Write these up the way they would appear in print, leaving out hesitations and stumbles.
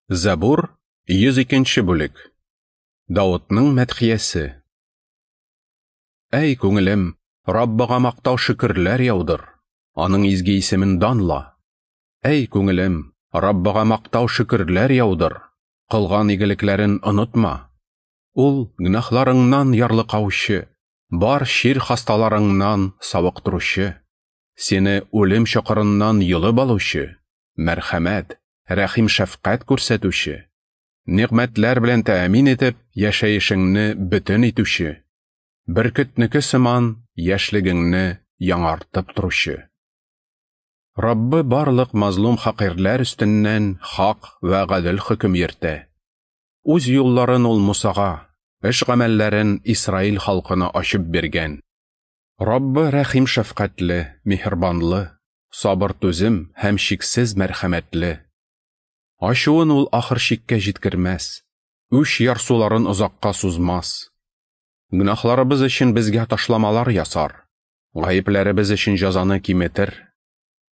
Забур, 102 бүлек. Давытның мәдхиясе. Әй, күңелем, Раббыга мактау шөкерләр яудыр, аның изге исемен данла. Әй, күңелем, Раббыга мактау шөкерләр яудыр, кылган игелекләрен онытма. Ул гөнаһларыңнан ярлыкаучы, бар чир хасталарыңнан савыктыручы, сине үлем чокырыннан йолып алучы, мәрхәмәт, рәхим шәфкать күрсәтүче, нигъмәтләр белән тәэмин итеп, яшәешеңне бөтен итүче, бөркетнеке сыман яшьлегеңне яңартып торучы. Раббы барлык мазлум хакирләр өстеннән хак вә гадел хөкем йөртә. Үз юлларын ул Мусага, эш гамәлләрен Исраил халкына ачып биргән. Раббы рәхим шәфкатьле, миһербанлы, сабыр түзем һәм чиксез мәрхәмәтле. Ачуын ул ахыр чиккә җиткермәс, үч ярсуларын озакка сузмас. Гөнаһларыбыз өчен безгә ташламалар ясар, гаепләребез өчен җәзаны киметер.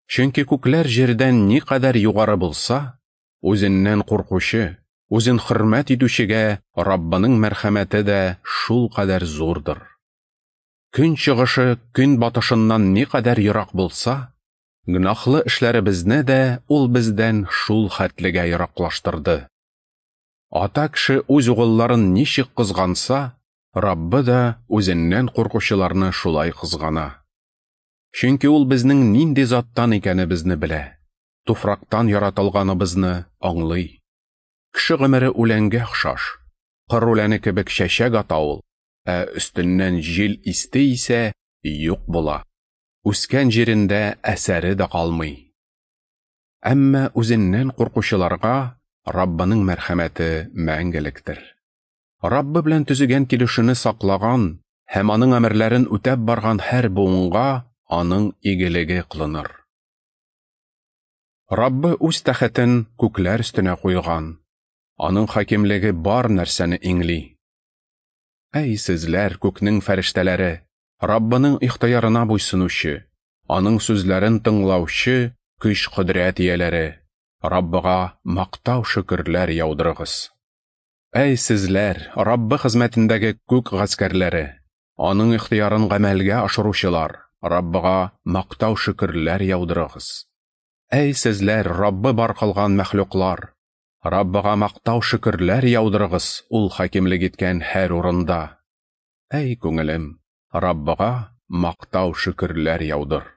Чөнки күкләр җирдән никадәр югары булса, үзеннән куркучы, үзен хөрмәт итүчегә Раббының мәрхәмәте дә шул кадәр зурдыр. Көн чыгышы көн батышыннан никадәр ерак булса, гөнаһлы эшләребезне дә ул бездән шул хәтлегә ераклаштырды. Ата кеше үз угылларын ничек кызганса, Раббы да үзеннән куркучыларны шулай кызгана. Чөнки ул безнең нинди заттан икәнебезне белә, туфрактан яратылганыбызны аңлый. Кеше гомере үләнгә охшаш, кыр үләне кебек чәчәк ата ул, ә өстеннән җил исте исә юк була. Үскән җирендә әсәре дә калмый. Әмма үзеннән куркучыларга Раббының мәрхәмәте мәңгелектер. Раббы белән төзегән килешүне саклаган һәм аның әмерләрен үтәп барган һәр буынга аның игелеге кылыныр. Раббы үз тәхетен күкләр өстенә куйган. Аның хакимлеге бар нәрсәне иңли. Әй сезләр, күкнең фәрештәләре, Раббының ихтыярына буйсынучы, аның сүзләрен тыңлаучы көч-кодрәт ияләре, Раббыга мактау шөкерләр яудырыгыз. Әй сезләр, Раббы хезмәтендәге күк гаскәрләре, аның ихтыярын гамәлгә ашыручылар, Раббыга мактау шөкерләр яудырыгыз. Әй сезләр, Раббы бар кылган мәхлуклар, Раббыга мактау шөкерләр яудырыгыз ул хакимлек иткән һәр урында. Әй күңелем, Раббыга мактау шөкерләр яудыр.